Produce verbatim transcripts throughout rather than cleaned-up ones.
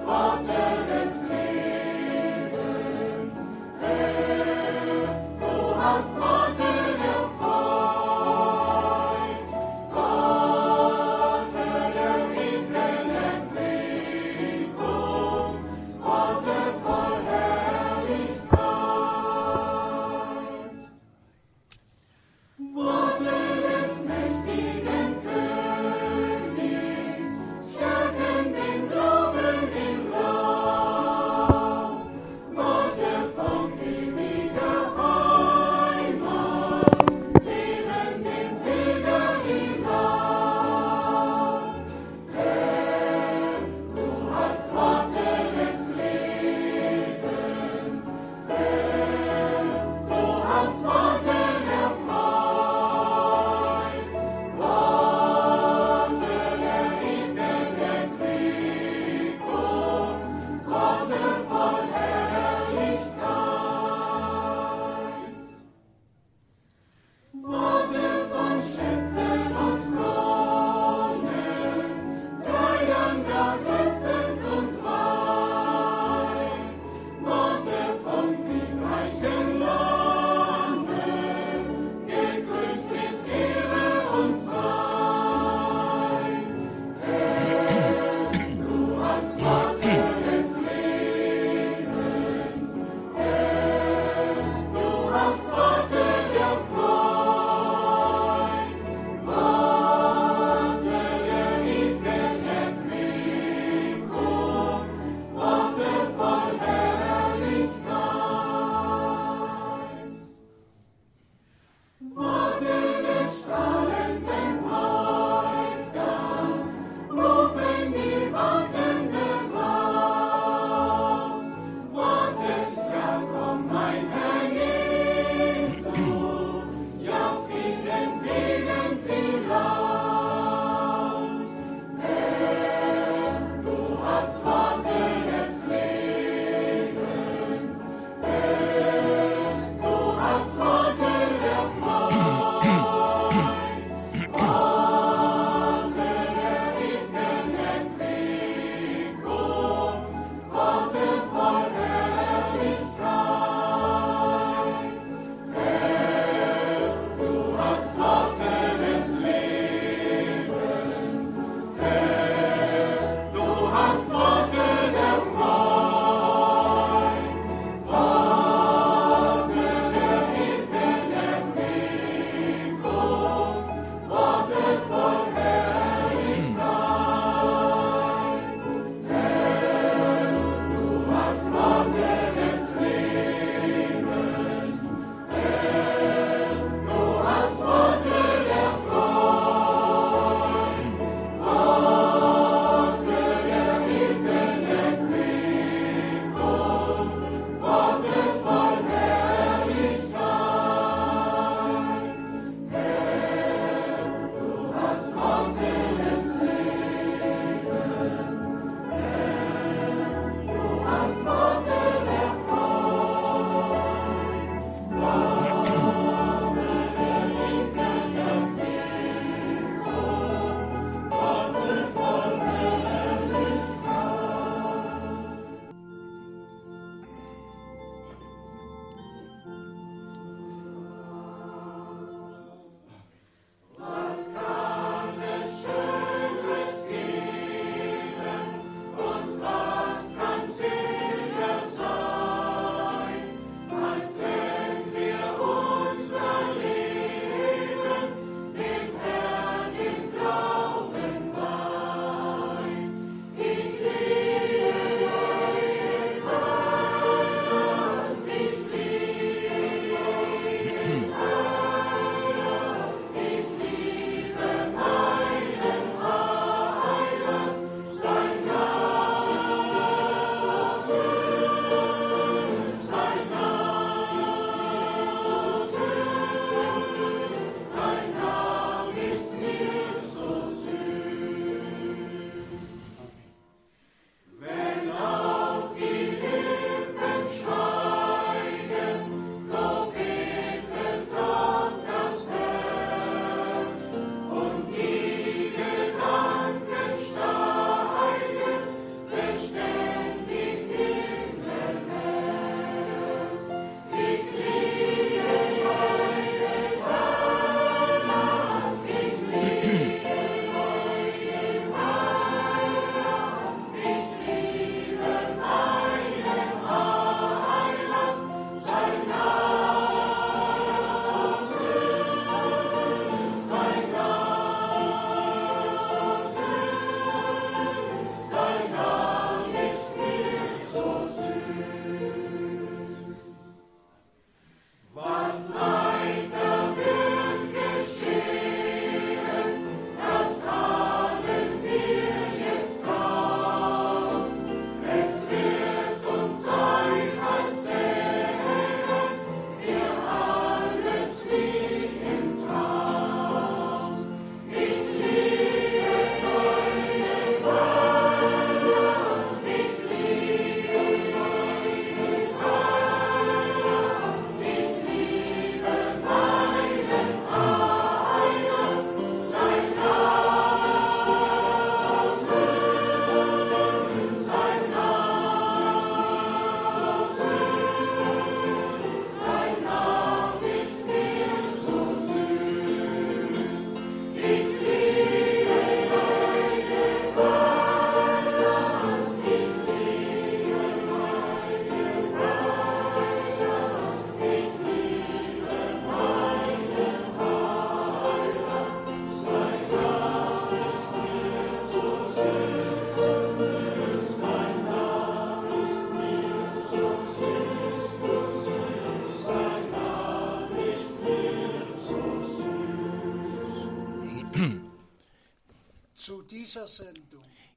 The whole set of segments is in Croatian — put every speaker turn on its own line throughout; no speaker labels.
Worte des Lebens.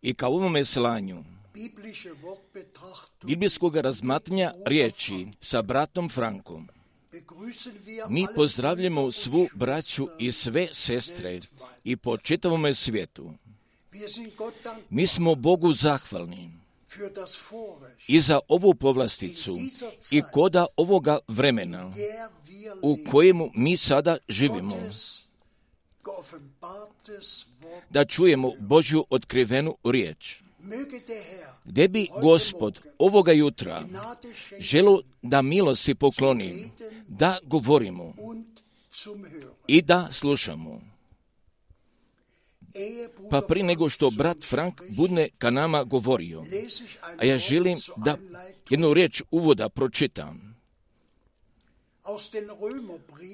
I kao ovome slanju biblijskog razmatranja riječi sa bratom Frankom, mi pozdravljamo svu braću i sve sestre i po čitavome svijetu. Mi smo Bogu zahvalni i za ovu povlasticu i koda ovoga vremena u kojemu mi sada živimo, da čujemo Božju otkrivenu riječ. Gdje bi Gospod ovoga jutra želio da milosti pokloni, da govorimo i da slušamo. Pa prije nego što brat Frank bude ka nama govorio, a ja želim da jednu riječ uvoda pročitam.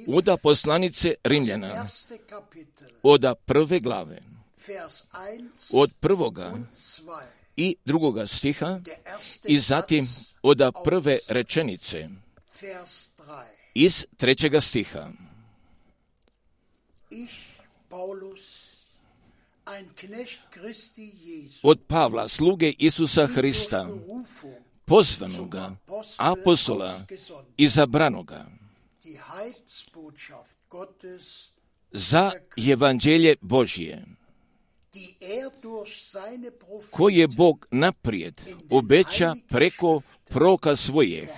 Od poslanice Rimljana, od prve glave, od prvoga i drugoga stiha i zatim od prve rečenice iz trećega stiha. Od Pavla, sluge Isusa Hrista, pozvanoga, apostola, izabranoga, za evanđelje Božje, koje Bog naprijed obeća preko proroka svojih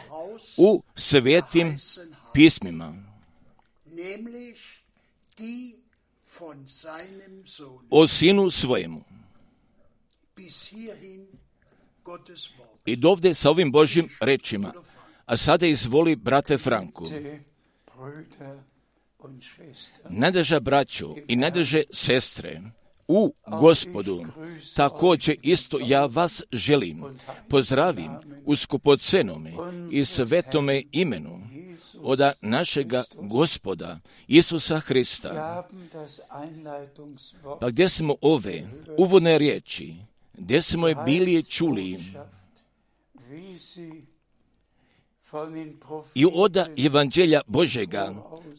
u svetim pismima, o sinu svojemu. I dovde sa ovim Božjim rečima. A sada izvoli, brate Franku. Nadeža braćo i nadeže sestre u Gospodu, također isto ja vas želim, pozdravim u skupocenome i svetome imenu od našega Gospoda Isusa Hrista. Pa gdje smo ove uvodne riječi, gdje smo je bili čuli i od evanđelja Božega,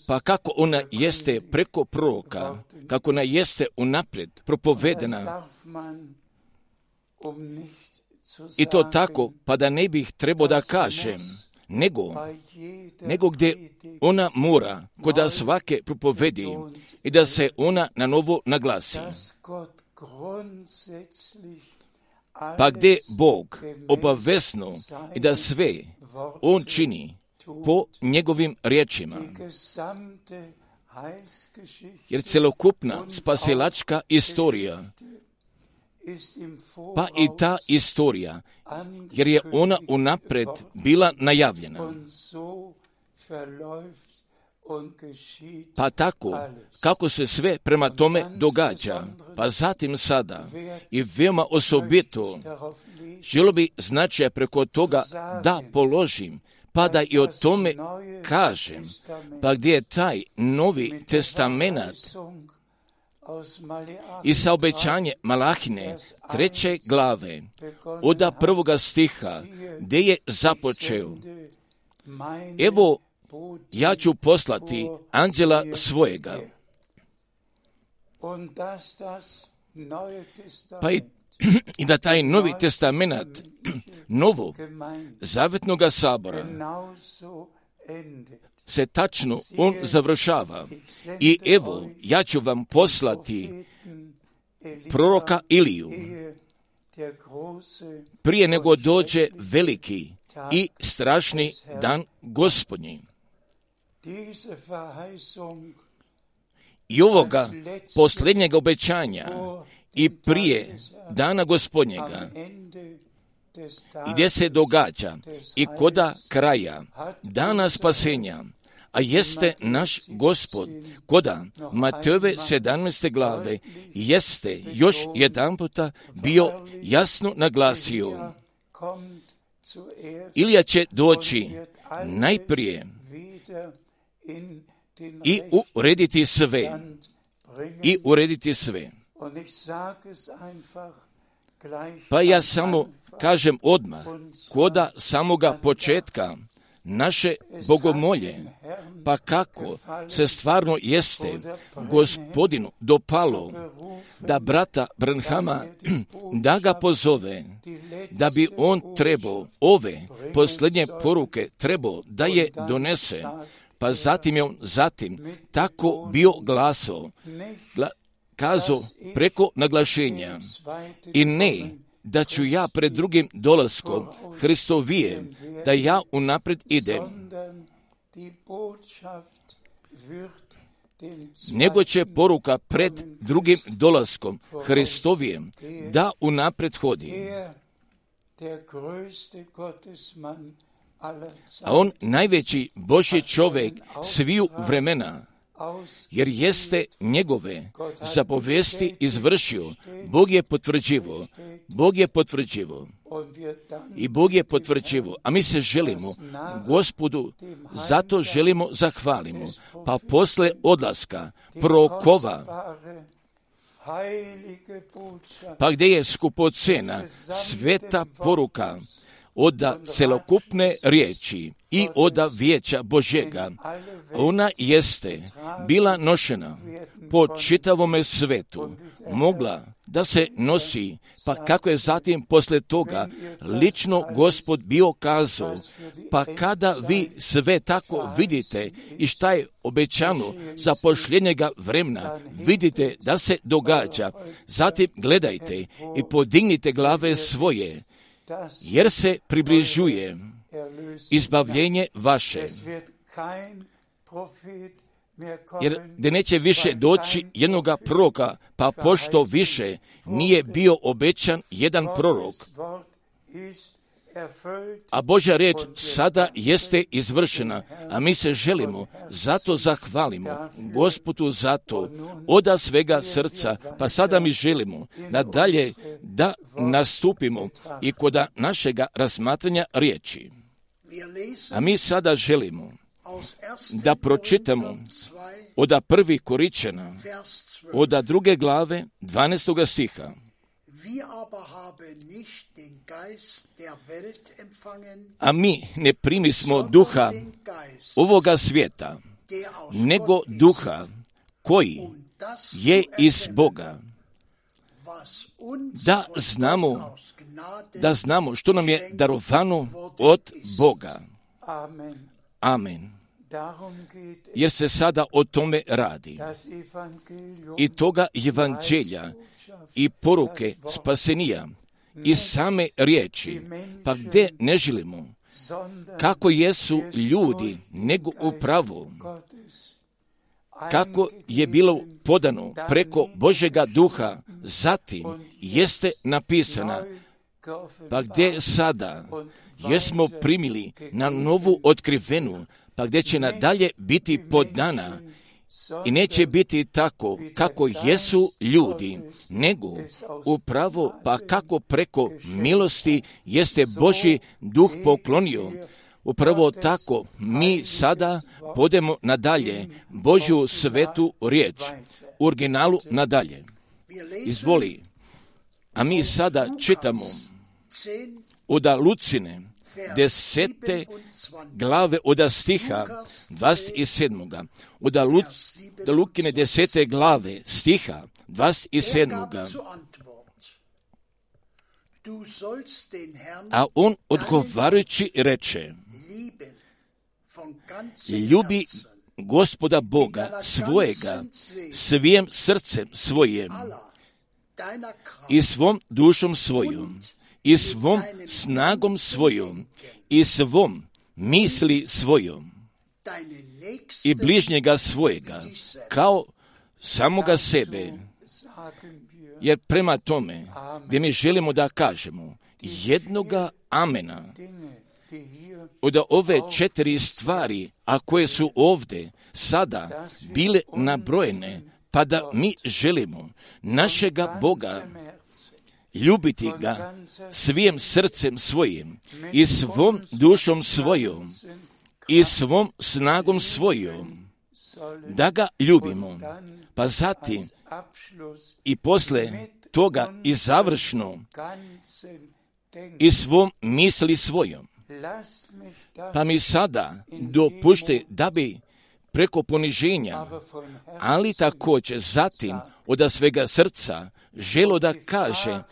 pa kako ona jeste preko proroka, kako ona jeste unaprijed propovedena, i to tako, pa da ne bih trebao da kažem, nego, nego gdje ona mora kod svake propovedi i da se ona na novo naglasi. Pa gdje Bog obavezno i da sve On čini po njegovim riječima. Jer celokupna spasilačka istorija, pa i ta istorija, jer je ona unapred bila najavljena. Pa tako, kako se sve prema tome događa, pa zatim sada i veoma osobito, želo bi značaja preko toga da položim, pa da i o tome kažem, pa gdje je taj Novi Testamenat i sa obećanje Malahine treće glave od prvoga stiha gdje je započeo: evo, ja ću poslati anđela svojega. Pa i, i da taj Novi Testamenat novog zavetnoga sabora se tačno on završava. I evo, ja ću vam poslati proroka Iliju prije nego dođe veliki i strašni dan Gospodnji. I ovoga posljednjeg obećanja i prije dana Gospodnjega, i gdje se događa i koda kraja dana spasenja, a jeste naš Gospod, koda Matejove sedamnaeste glave jeste još jedan puta bio jasno naglasio: Ilija će doći najprije i urediti sve, i urediti sve. Pa ja samo kažem odmah, koda samoga početka naše bogomolje, pa kako se stvarno jeste Gospodinu dopalo da brata Branhama, da ga pozove, da bi on trebao ove posljednje poruke trebao da je donese, pa zatim je on zatim tako bio glaso, gla, kazao preko naglašenja i ne da ću ja pred drugim dolaskom Hristovije, da ja unaprijed idem, nego će poruka pred drugim dolaskom Hristovijem da unaprijed hodi. A on najveći Božji čovjek sviju vremena, jer jeste njegove zapovesti izvršio, Bog je potvrđivo, Bog je potvrđivo i Bog je potvrđivo, a mi se želimo Gospodu, zato želimo zahvalimo, pa posle odlaska prorokova, pa gdje je skupocena sveta poruka oda celokupne riječi i oda vijeća Božjega, ona jeste bila nošena po čitavome svetu, mogla da se nosi, pa kako je zatim posle toga lično Gospod bio kazao, pa kada vi sve tako vidite i šta je obećano za posljednjega vremena, vidite da se događa, zatim gledajte i podignite glave svoje, jer se približuje izbavljenje vaše. Jer da neće više doći jednoga proroka, pa pošto više nije bio obećan jedan prorok, a Božja riječ sada jeste izvršena, a mi se želimo, zato zahvalimo Gospodu za to, oda svega srca, pa sada mi želimo nadalje da nastupimo i kod našega razmatranja riječi. A mi sada želimo da pročitamo oda prvi Koričana, oda druge glave, dvanaestoga stiha. A mi ne primismo duha ovoga svijeta, nego duha koji je iz Boga, da znamo, da znamo što nam je darovano od Boga. Amen. Jer se sada o tome radi. I toga evanđelja i poruke spasenija i same riječi, pa gdje ne želimo, kako jesu ljudi, nego upravo, kako je bilo podano preko Božjega duha, zatim jeste napisana, pa gdje sada jesmo primili na novu otkrivenu, pa gdje će nadalje biti podana i neće biti tako kako jesu ljudi, nego upravo pa kako preko milosti jeste Božji duh poklonio. Upravo tako mi sada podemo nadalje Božju svetu riječ, u originalu nadalje. Izvoli, a mi sada čitamo oda Lucine, desete glave oda stiha dvadeset sedmoga. Oda Lu, Lukine desete glave stiha dvadeset sedmoga. A on odgovarajući reče, ljubi Gospoda Boga svojega svijim srcem svojim i svom dušom svojom i svom snagom svojom i svom misli svojom i bližnjega svojega kao samoga sebe. Jer prema tome gdje mi želimo da kažemo jednoga amena od ove četiri stvari, a koje su ovdje sada bile nabrojene, pa da mi želimo našega Boga ljubiti ga svijim srcem svojim i svom dušom svojom i svom snagom svojom, da ga ljubimo, pa zatim i posle toga i završno i svom misli svojom. Pa mi sada dopušte da bi preko poniženja, ali također zatim od svega srca želo da kaže,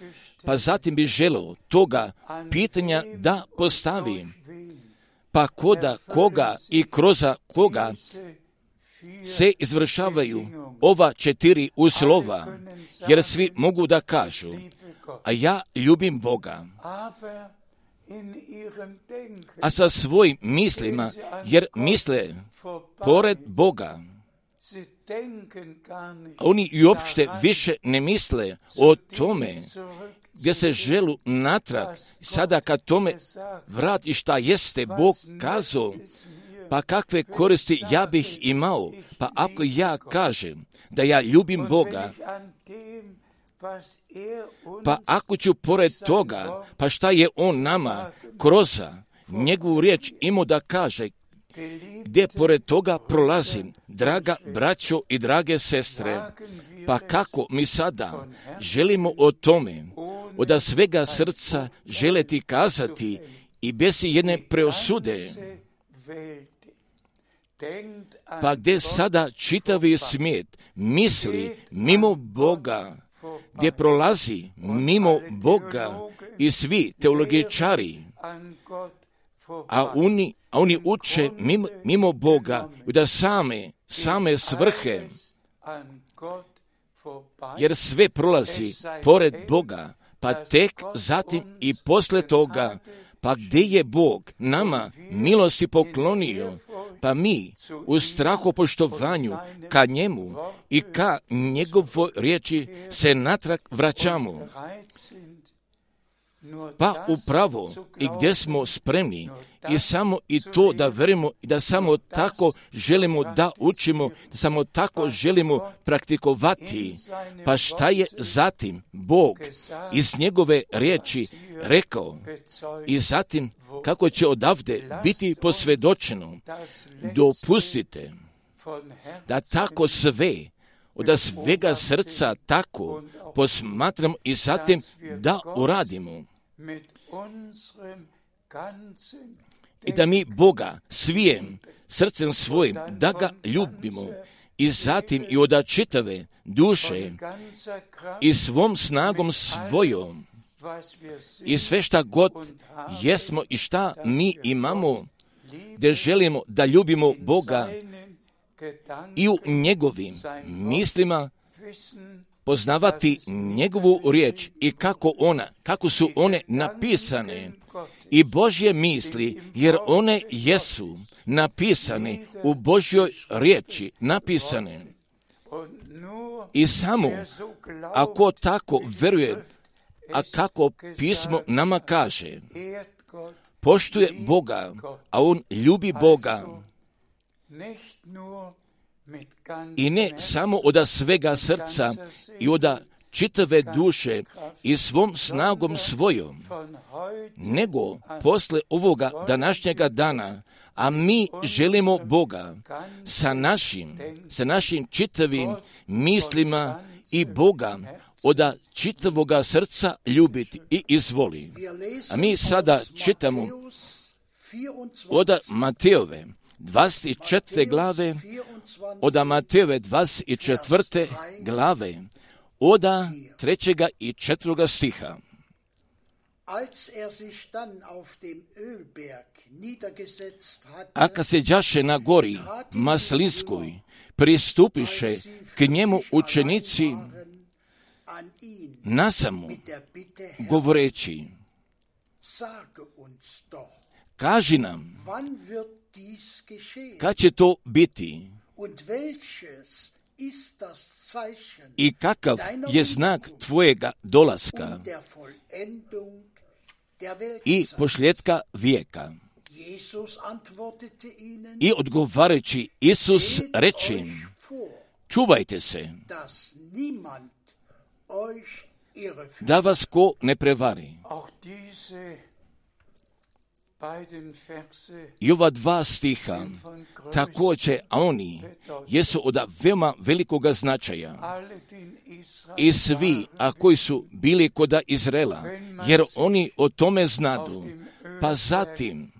pa zatim bi želo toga pitanja da postavi, pa koda koga i kroz koga se izvršavaju ova četiri uslova, jer svi mogu da kažu, a ja ljubim Boga. A sa svojim mislima, jer misle pored Boga, oni i uopšte više ne misle o tome gdje se želu natrag, sada kad tome vrati šta jeste Bog kazao, pa kakve koristi ja bih imao, pa ako ja kažem da ja ljubim Boga, pa ako ću pored toga, pa šta je On nama kroz njegovu riječ imao da kaže, gdje pored toga prolazim, draga braćo i drage sestre, pa kako mi sada želimo o tome, od svega srca želeti kazati i bez jedne preosude, pa gdje sada čitavi svijet misli mimo Boga, gdje prolazi mimo Boga i svi teologičari, a oni, a oni uče mimo, mimo Boga da same, same svrhe, jer sve prolazi pored Boga, pa tek zatim i posle toga, pa gdje je Bog nama milosti poklonio, pa mi u strahopoštovanju ka njemu i ka njegovoj riječi se natrag vraćamo. Pa upravo i gdje smo spremni i samo i to da verujemo i da samo tako želimo da učimo, da samo tako želimo praktikovati. Pa šta je zatim Bog iz njegove riječi rekao i zatim kako će odavde biti posvjedočeno. Dopustite da tako sve od svega srca tako posmatramo i zatim da uradimo. I da mi Boga svijem srcem svojim, da ga ljubimo i zatim i od čitave duše i svom snagom svojom i sve šta god jesmo i šta mi imamo, gdje želimo da ljubimo Boga i u njegovim mislima poznavati njegovu riječ i kako ona, kako su one napisane i Božje misli, jer one jesu napisane u Božjoj riječi, napisane. I samo ako tako veruje, a kako pismo nama kaže, poštuje Boga, a on ljubi Boga, i ne samo od svega srca i od čitave duše i svom snagom svojom, nego posle ovoga današnjega dana, a mi želimo Boga sa našim, sa našim čitavim mislima i Boga od čitavoga srca ljubiti i izvoli. A mi sada čitamo od Matejove dvadeset četvrte glave, od Matejove dvadeset četvrte glave, od trećega i četvrtoga stiha. A kad se đaše na gori Maslinskoj, pristupiše k njemu učenici nasamo, govoreći, kaži nam, kad će to biti i kakav je znak tvojega dolaska i pošljetka vijeka. I odgovarajući Isus reče, čuvajte se, da vas ko ne prevari. I ova dva stiha također, a oni jesu od veoma velikoga značaja. I svi, a koji su bili kod Izraela, jer oni o tome znadu, pa zatim,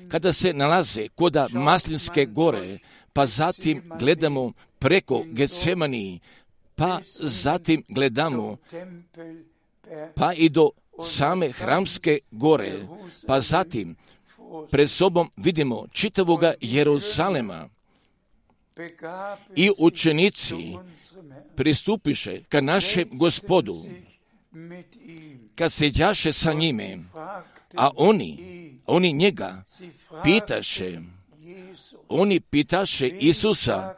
kada se nalaze kod Maslinske gore, pa zatim gledamo preko Getsemani, pa zatim gledamo pa i do same Hramske gore, pa zatim pred sobom vidimo čitavoga Jeruzalema i učenici pristupiše ka našem Gospodu, kad seđaše sa njime, a oni, oni njega pitaše, oni pitaše Isusa,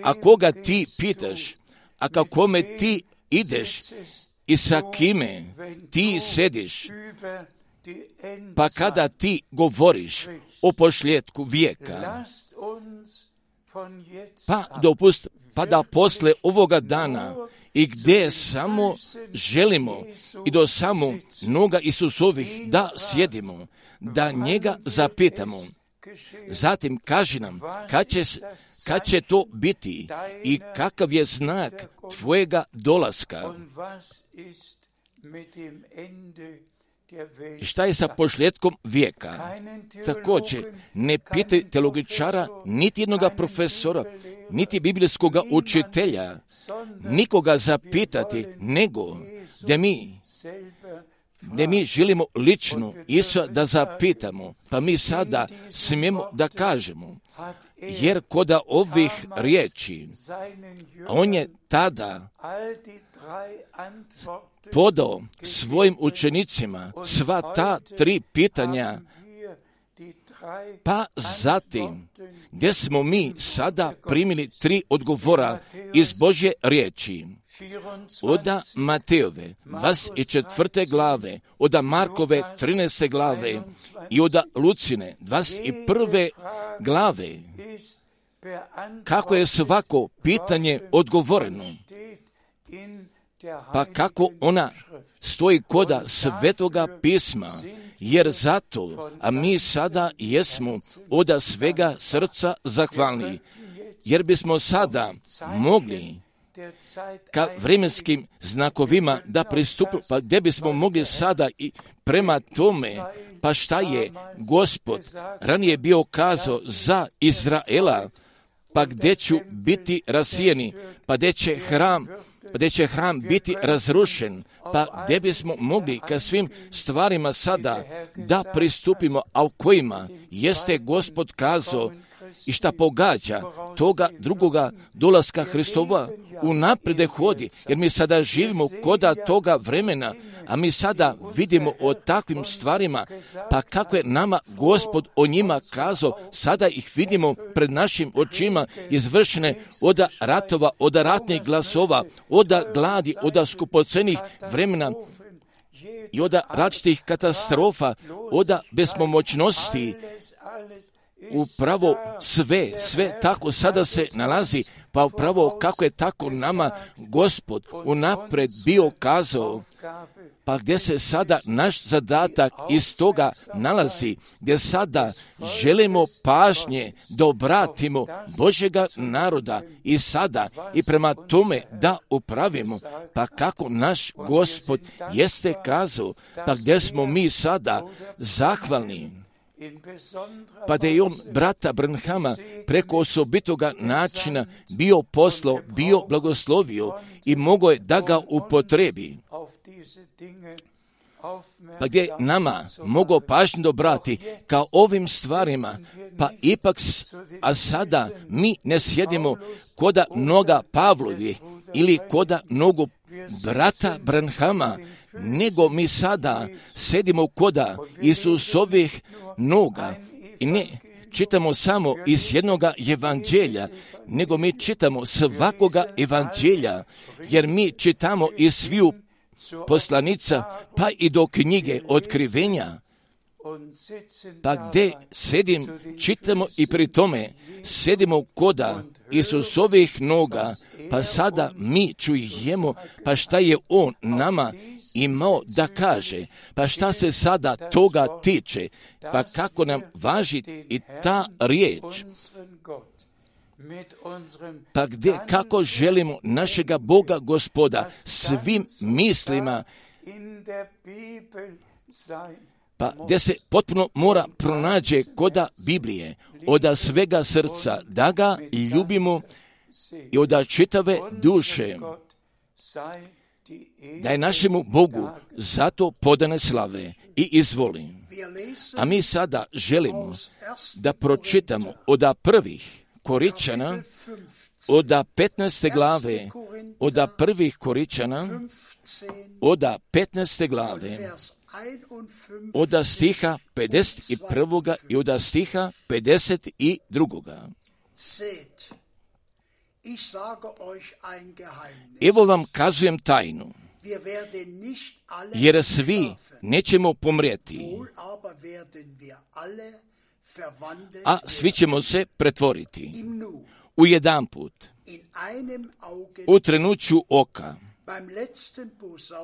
a koga ti pitaš, a ka kome ti ideš i sa kime ti sediš, pa kada ti govoriš o posljetku vijeka, pa dopust, pa da posle ovoga dana i gdje samo želimo i do samo noga Isusovih da sjedimo, da njega zapitamo. Zatim kaži nam kad će, kad će to biti i kakav je znak tvojega dolaska. I šta je sa posljetkom vijeka? Također, ne pitaj teologičara, niti jednoga profesora, niti biblijskoga učitelja, nikoga zapitati, nego da mi, da mi želimo lično Isusa da zapitamo, pa mi sada smijemo da kažemo, jer kod ovih riječi, on je tada podao svojim učenicima sva ta tri pitanja, pa zatim, gdje smo mi sada primili tri odgovora iz Božje riječi, oda Matejove dvadeset četvrte glave, oda Markove trinaeste glave i oda Lucine dvadeset prve glave, kako je svako pitanje odgovoreno, pa kako ona stoji koda Svetoga pisma, jer zato, a mi sada jesmo oda svega srca zahvalni, jer bismo sada mogli ka vremenskim znakovima da pristupimo, pa gdje bismo mogli sada i prema tome, pa šta je Gospod ranije bio kazao za Izraela, pa gdje ću biti rasijeni, pa gdje će hram pa gdje će hram biti razrušen, pa gdje bismo mogli ka svim stvarima sada da pristupimo, a u kojima jeste Gospod kazao i šta pogađa toga drugoga dolaska Hristova unaprijed hodi, jer mi sada živimo koda toga vremena, a mi sada vidimo o takvim stvarima, pa kako je nama Gospod o njima kazao, sada ih vidimo pred našim očima izvršene od ratova, od ratnih glasova, od gladi, od skupocenih vremena i od različitih katastrofa, od bespomoćnosti. Upravo sve, sve tako sada se nalazi, pa upravo kako je tako nama Gospod unapred bio kazao, pa gdje se sada naš zadatak iz toga nalazi, gdje sada želimo pažnje da obratimo Božjega naroda i sada i prema tome da upravimo, pa kako naš Gospod jeste kazao, pa gdje smo mi sada zahvalni. Pa da je on brata Branhama preko osobitoga načina bio poslao, bio blagoslovio i mogao je da ga upotrebi. Pa gdje nama mogao pažnju obrati kao ovim stvarima, pa ipak, a sada mi ne sjedimo koda noga Pavlovi ili koda nogu brata Branhama, nego mi sada sedimo koda Isusovih noga i ne čitamo samo iz jednoga evanđelja, nego mi čitamo svakoga evanđelja, jer mi čitamo iz sviju poslanica, pa i do knjige Otkrivenja, pa gdje sedim, čitamo i pri tome sedimo koda Isusovih noga, pa sada mi čujemo, pa šta je on nama imao da kaže, pa šta se sada toga tiče, pa kako nam važi i ta riječ, pa gdje, kako želimo našega Boga Gospoda svim mislima pa gdje se potpuno mora pronađe koda Biblije, oda svega srca, da ga ljubimo i oda čitave duše, da je našemu Bogu zato podane slave i izvoli. A mi sada želimo da pročitamo oda prvih Koričana, oda petnaeste glave, oda prvih Koričana, oda petnaeste glave, oda stiha pedeset prvoga i oda stiha pedeset drugoga. Evo vam kazujem tajnu, jer svi nećemo pomrijeti, a svi ćemo se pretvoriti u jedan put, u trenuću oka,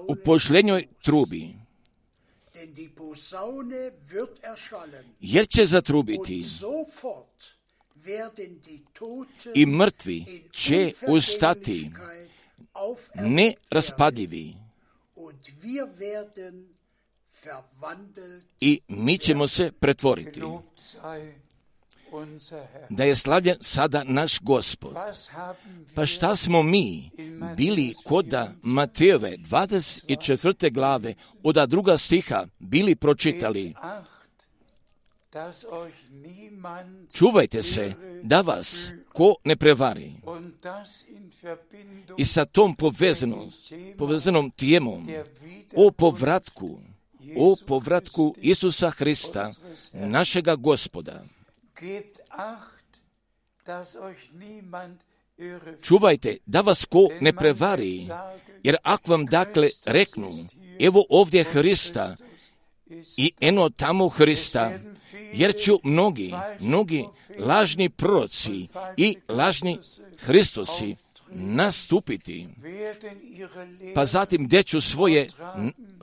u posljednjoj trubi, jer će zatrubiti i mrtvi će ustati neraspadljivi i mi ćemo se pretvoriti. Da je slavljen sada naš Gospod. Pa šta smo mi bili koda Matejove dvadeset četvrte glave oda druga stiha bili pročitali? Čuvajte se da vas ko ne prevari. I sa tom povezanom, povezanom temom o povratku, o povratku Isusa Hrista, našega Gospoda. Čuvajte da vas ko ne prevari, jer ako vam dakle reknu, evo ovdje Hrista i eno tamo Hrista, jer ću mnogi, mnogi lažni proroci i lažni Hristosi nastupiti, pa zatim gdje ću svoje,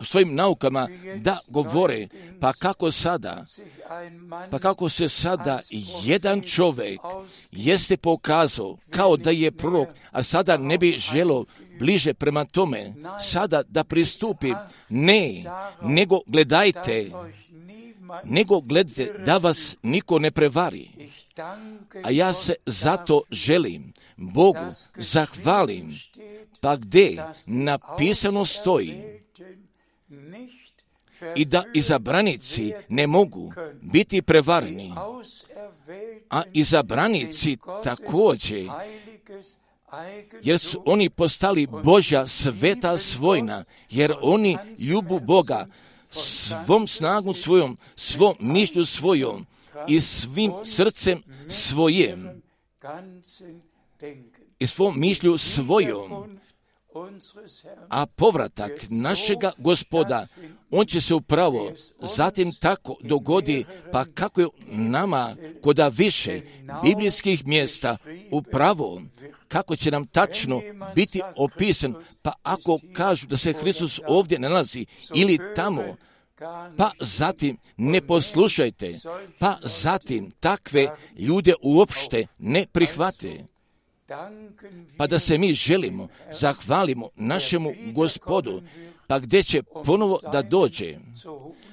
svojim naukama da govore, pa kako sada, pa kako se sada jedan čovjek jeste pokazao kao da je prorok, a sada ne bi želio bliže prema tome, sada da pristupi, ne, nego gledajte, nego gledajte da vas niko ne prevari. A ja se zato želim Bogu zahvalim, pa gdje napisano stoji i da izabranici ne mogu biti prevareni, a izabranici također, jer su oni postali Božja sveta svojna, jer oni ljubu Boga svom snagom svojom, svom mišlju svojom i svim srcem svojim i svom mišlju svojom. A povratak našega Gospoda, on će se upravo zatim tako dogodi, pa kako je nama koda više biblijskih mjesta upravo, kako će nam tačno biti opisan, pa ako kažu da se Hristos ovdje nalazi ili tamo, pa zatim ne poslušajte, pa zatim takve ljude uopšte ne prihvate. Pa da se mi želimo, zahvalimo našemu Gospodu, pa gdje će ponovo da dođe,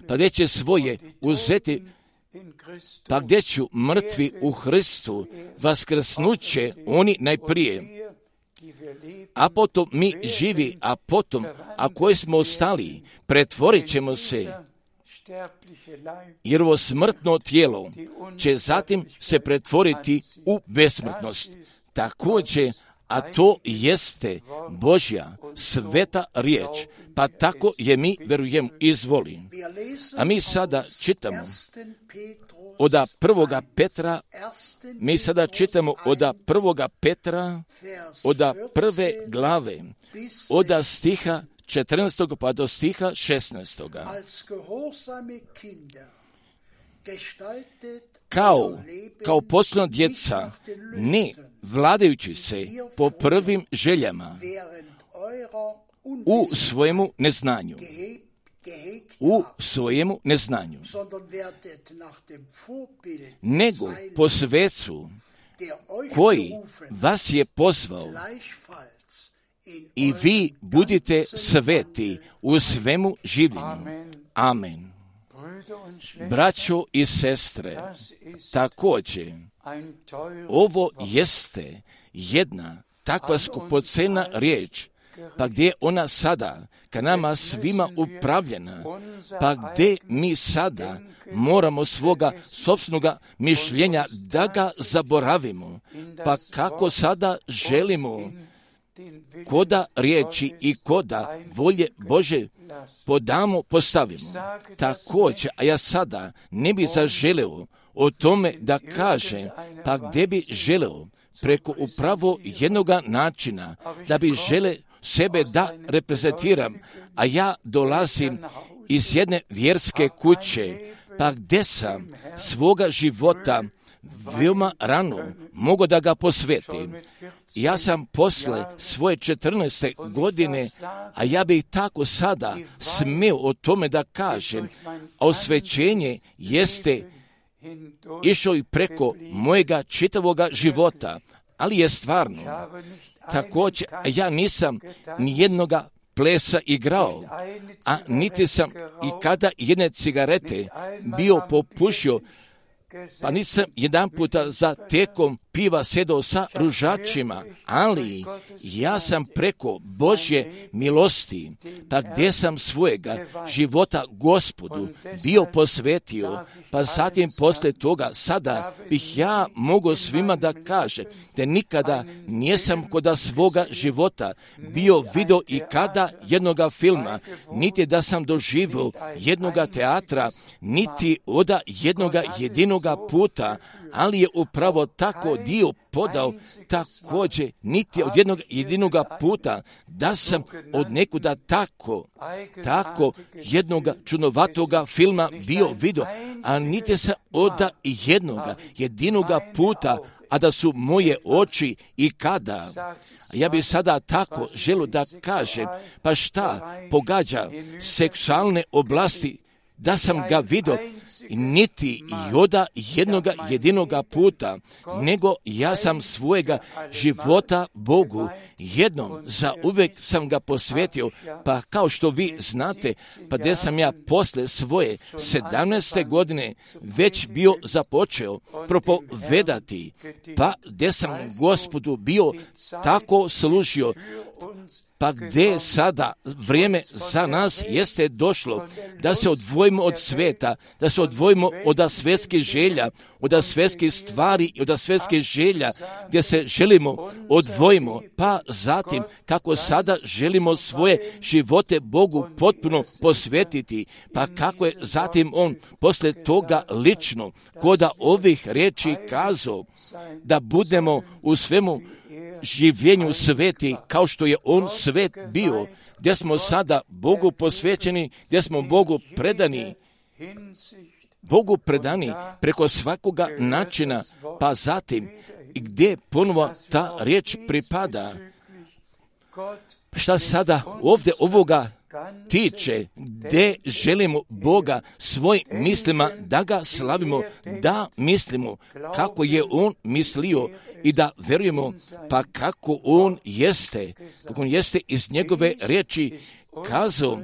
pa gdje će svoje uzeti, pa gdje ću mrtvi u Hristu vaskrsnuće oni najprije, a potom mi živi, a potom, a koji smo ostali, pretvorit ćemo se, jer ovo smrtno tijelo će zatim se pretvoriti u besmrtnost. Također, a to jeste Božja sveta riječ, pa tako je mi verujemo, izvoli. A mi sada čitamo oda prvoga Petra, mi sada čitamo oda prvoga Petra, oda prve glave, oda stiha četrnaestog pa do stiha šesnaestog. Kao, kao posljedna djeca, ne vladajući se po prvim željama u svojemu neznanju, u svojemu neznanju, nego po svecu koji vas je pozvao, i vi budite sveti u svemu življenju. Amen. Braćo i sestre, također, ovo jeste jedna takva skupocena riječ, pa gdje je ona sada ka nama svima upravljena, pa gdje mi sada moramo svoga sopstvenoga mišljenja da ga zaboravimo, pa kako sada želimo koda riječi i koda volje Bože podamo, postavimo. Također, a ja sada ne bi zaželeo o tome da kažem, pa gdje bi želeo preko upravo jednoga načina, da bi žele sebe da reprezentiram, a ja dolazim iz jedne vjerske kuće, pa gdje sam svoga života veoma rano mogu da ga posvetim. Ja sam posle svoje četrnaeste godine, a ja bih tako sada smio o tome da kažem, a osvećenje jeste išao i preko mojega čitavoga života, ali je stvarno. Također, ja nisam nijednoga plesa igrao, a niti sam i kada jedne cigarete bio popušio, pa nisam jedan puta za tekom piva sedao sa ružačima, ali ja sam preko Božje milosti, pa gdje sam svojega života Gospodu bio posvetio, pa zatim posle toga sada bih ja mogao svima da kažem da nikada nisam kod svoga života bio video i kada jednoga filma, niti da sam doživio jednoga teatra, niti oda jednoga jedinoga puta, ali je upravo tako dio podao također niti od jednog jedinoga puta da sam od nekuda tako, tako jednoga čudnovatoga filma bio vidio, a niti sam od jednoga jedinoga puta, a da su moje oči i kada. Ja bih sada tako želio da kažem, pa šta pogađa seksualne oblasti, da sam ga vidio niti i oda jednoga jedinoga puta, nego ja sam svojega života Bogu jednom za uvijek sam ga posvetio, pa kao što vi znate, pa gdje sam ja posle svoje sedamnaeste godine već bio započeo propovedati, pa gdje sam Gospodu bio tako služio, pa gdje sada vrijeme za nas jeste došlo da se odvojimo od sveta, da se odvojimo od svjetskih želja, od svjetskih stvari i od svjetskih želja, gdje se želimo odvojimo, pa zatim kako sada želimo svoje živote Bogu potpuno posvetiti, pa kako je zatim on posle toga lično koda ovih riječi kazao da budemo u svemu življenju sveti kao što je on svet bio, gdje smo sada Bogu posvećeni, gdje smo Bogu predani, Bogu predani preko svakoga načina, pa zatim i gdje ponovo ta riječ pripada. Šta sada ovdje ovoga tiče, gdje želimo Boga svojim mislima da ga slavimo, da mislimo kako je on mislio i da verujemo pa kako on jeste, kako on jeste iz njegove riječi kazao,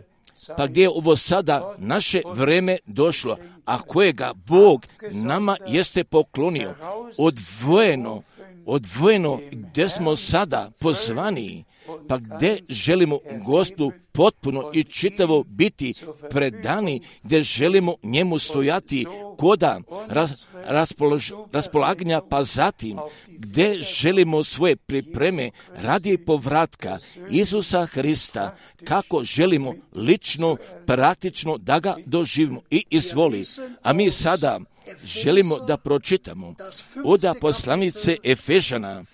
pa gdje je ovo sada naše vrijeme došlo, a kojega Bog nama jeste poklonio, odvojeno, odvojeno gdje smo sada pozvani, pa gdje želimo Gospodu potpuno i čitavo biti predani, gdje želimo njemu stojati koda raz, raspolož, raspolaganja, pa zatim gdje želimo svoje pripreme radi povratka Isusa Hrista, kako želimo lično, praktično da ga doživimo i izvoli. A mi sada želimo da pročitamo od poslanice Efežana,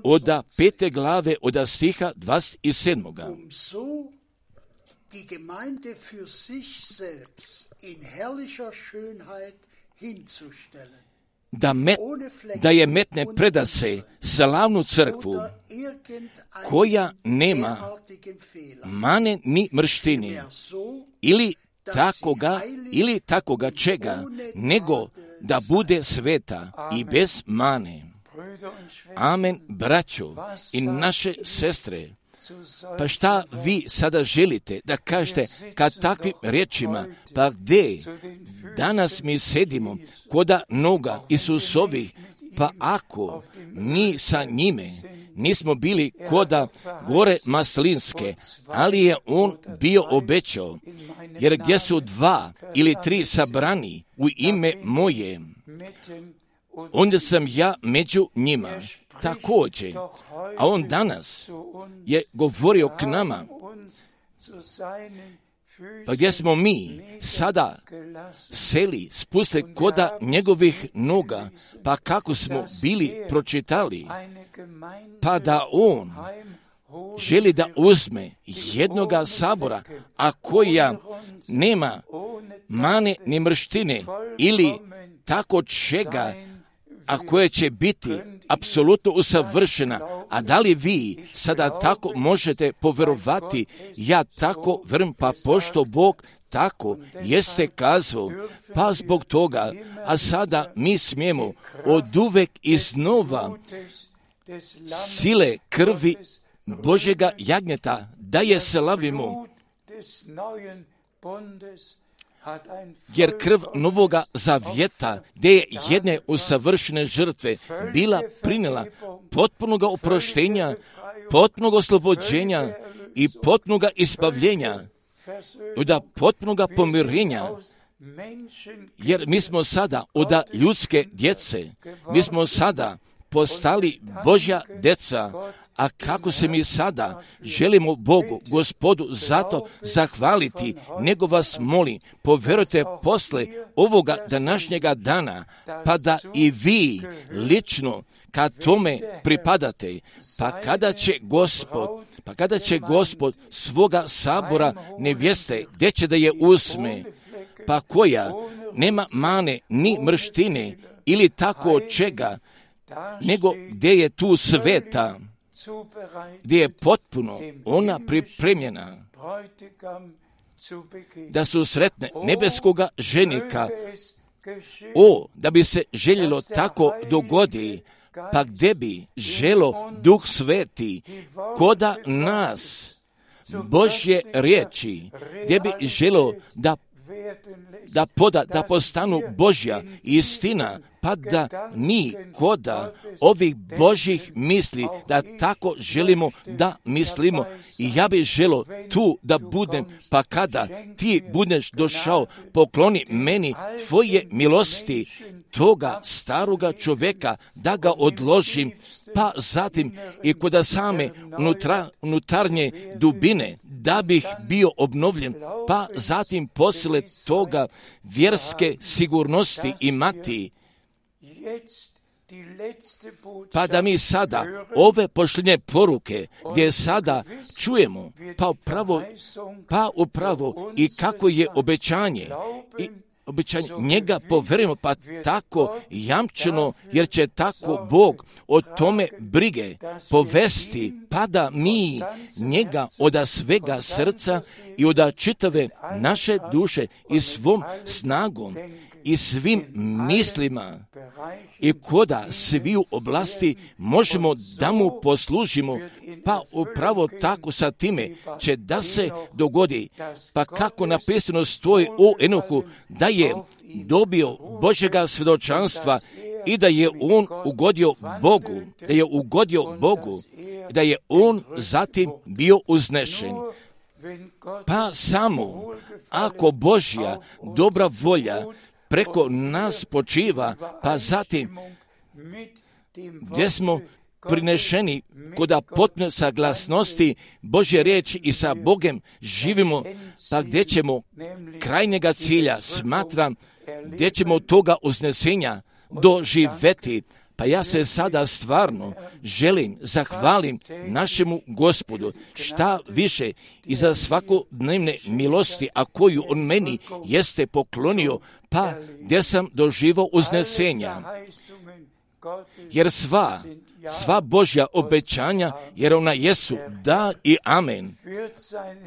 od pete glave, od stiha dvadeset sedam.
Die Gemeinde für sich selbst in herrlicher Schönheit hinzustellen.
Da, met, da je metne predase slavnu crkvu koja nema mane ni mrštini ili takoga, ili takoga čega, nego da bude sveta i bez mane. Amen, braćo i naše sestre, Pa šta vi sada želite da kažete kad takvim riječima, pa gdje danas mi sedimo koda noga Isusovih, pa ako mi sa njime nismo bili koda gore Maslinske, ali je on bio obećao, jer gdje su dva ili tri sabrani u ime moje, onda sam ja među njima također. A on danas je govorio k nama, pa gdje smo mi sada seli, spustili koda njegovih noga, pa kako smo bili pročitali, pa da on želi da uzme jednoga sabora, a koja nema mane ni mrštine ili tako čega, a koje će biti apsolutno usavršena. A da li vi sada tako možete poverovati? Ja tako vrm, pa pošto Bog tako jeste kazao, pa zbog toga, a sada mi smijemo od uvek iznova sile krvi Božjega jagnjeta da je slavimo, jer krv novoga zavjeta, gdje je jedne usavršene žrtve bila prinela potpunoga oproštenja, potpunog oslobođenja i potpunoga ispavljenja, i da potpunoga pomirenja, jer mi smo sada od ljudske djece, mi smo sada postali Božja deca. A kako se mi sada želimo Bogu, Gospodu, zato zahvaliti, nego vas molim, povjerujte posle ovoga današnjega dana, pa da i vi lično kad tome pripadate, pa kada će Gospod, pa kada će Gospod svoga sabora nevjeste, gdje će da je uzme, pa koja nema mane ni mrštine ili tako čega, nego gdje je tu sveta, gdje je potpuno ona pripremljena da su sretne nebeskoga ženika. O, da bi se željelo tako dogodi, pa gdje bi želo Duh Sveti koda nas Božje riječi, gdje bi želo da da poda, da postanu Božja istina, pa da mi koda ovih Božjih misli, da tako želimo da mislimo. I ja bih želo tu da budem, pa kada ti budeš došao, pokloni meni tvoje milosti, toga staroga čovjeka, da ga odložim, pa zatim i kod same unutra, unutarnje dubine, da bih bio obnovljen, pa zatim posle toga vjerske sigurnosti imati, pa da mi sada ove pošljenje poruke, gdje sada čujemo, pa upravo, pa upravo i kako je obećanje, i obećanje njega poverujemo, pa tako jamčeno, jer će tako Bog o tome brige povesti, pa da mi njega od svega srca i od čitave naše duše i svom snagom i svim mislima i koda sviju oblasti možemo da mu poslužimo, pa upravo tako sa time će da se dogodi, pa kako napisano stoji u Enohu, da je dobio Božjega svjedočanstva i da je on ugodio Bogu, da je ugodio Bogu, da je on zatim bio uznešen. Pa samo ako Božja dobra volja preko nas počiva, pa zatim gdje smo prinešeni kod potpune saglasnosti Božje riječi i sa Bogem živimo, pa gdje ćemo krajnjega cilja, smatram, gdje ćemo toga uznesenja doživeti. Pa ja se sada stvarno želim zahvalim našemu Gospodu šta više i za svakodnevne milosti, a koju on meni jeste poklonio, pa gdje sam doživao uznesenja. Jer sva, sva Božja obećanja, jer ona jesu da i amen.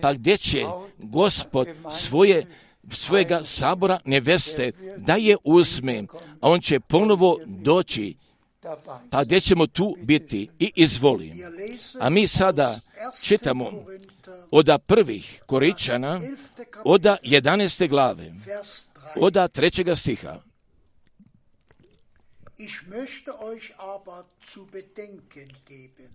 Pa gdje će Gospod svoje svojega sabora neveste da je uzme, a on će ponovo doći pa gdje ćemo tu biti i izvoli. A mi sada čitamo od prvih Koričana, od jedanaeste glave, od trećega stiha.
Ich möchte euch aber zu bedenken geben,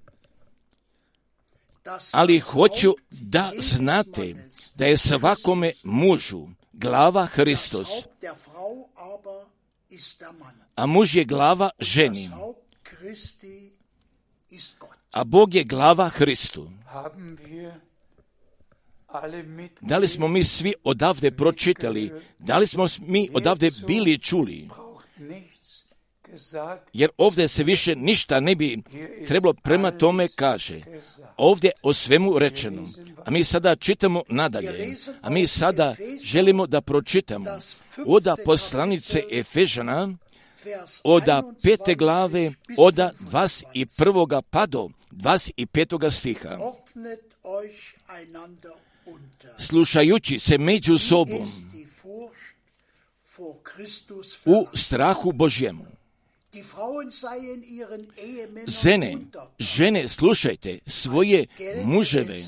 ali hoću da znate da je svakome mužu glava Hristos, a muž je glava ženi, a Bog je glava Hristu. Da li smo mi svi odavde pročitali, da li smo mi odavde bili čuli? Jer ovdje se više ništa ne bi trebalo prema tome kaže. Ovdje o svemu rečeno. A mi sada čitamo nadalje. A mi sada želimo da pročitamo od poslanice Efežana, od pete glave, od dvadeset prvoga pa do dvadeset petoga stiha. Slušajući se među sobom u strahu Božjemu. Žene, žene, slušajte svoje muževe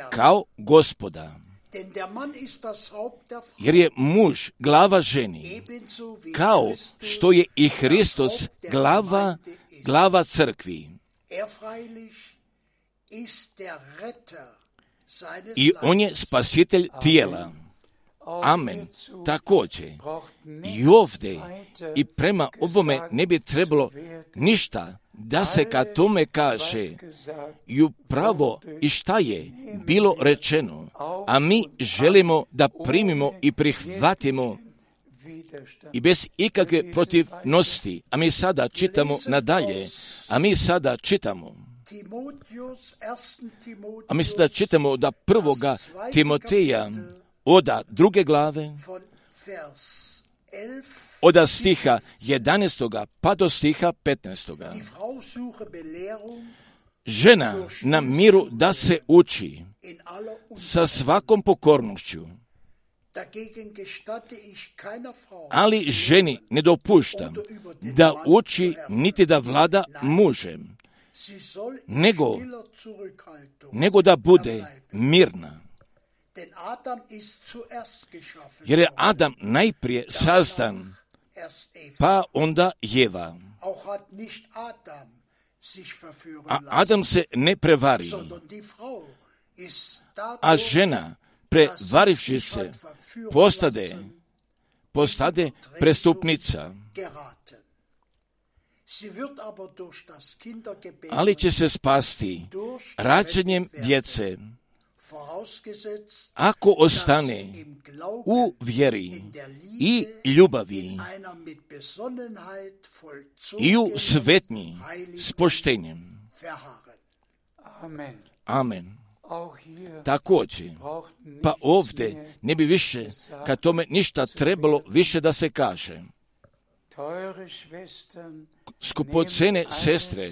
kao Gospoda, jer je muž glava ženi, kao što je i Hristos glava, glava crkvi. I on je spasitelj tijela. Amen. Također, i ovdje i prema ovome ne bi trebalo ništa da se ka tome kaže i upravo i šta je bilo rečeno, a mi želimo da primimo i prihvatimo i bez ikakve protivnosti. A mi sada čitamo nadalje, a mi sada čitamo a mi sada čitamo od prvoga Timoteja, od druge glave, od stiha jedanaestoga pa do stiha petnaestoga. Žena na miru da se uči sa svakom pokornošću, ali ženi ne dopuštam da uči niti da vlada mužem, nego, nego da bude mirna. Jer je Adam najprije sazdan, pa onda Jeva. A Adam se ne prevari, a žena, prevarivši se, postade, postade prestupnica. Ali će se spasti rađanjem djece, ako ostane u vjeri i ljubavi i u svetnji s poštenjem. Amen. Također, pa ovdje ne bi više ka tome ništa trebalo više da se kaže. Skupocene sestre,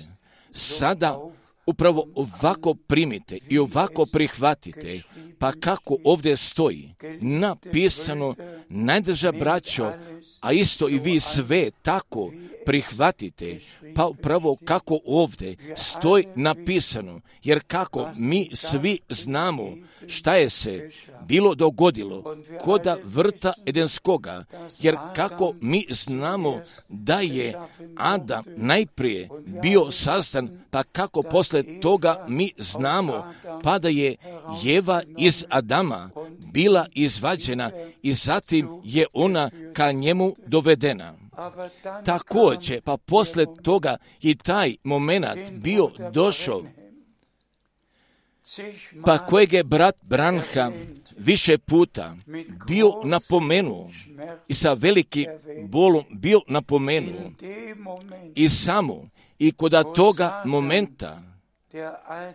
sada upravo ovako primite i ovako prihvatite, pa kako ovdje stoji napisano, najdrža braćo, a isto i vi sve tako prihvatite, pa upravo kako ovdje stoji napisano, jer kako mi svi znamo šta je se bilo dogodilo koda vrta Edenskoga, jer kako mi znamo da je Adam najprije bio sazdan, pa kako posle toga mi znamo, pa da je Jeva iz Adama bila izvađena i zatim je ona ka njemu dovedena. Također, pa posle toga i taj moment bio došao, pa kojeg je brat Branham više puta bio napomenuo i sa velikim bolom bio napomenuo i samo i kod toga momenta,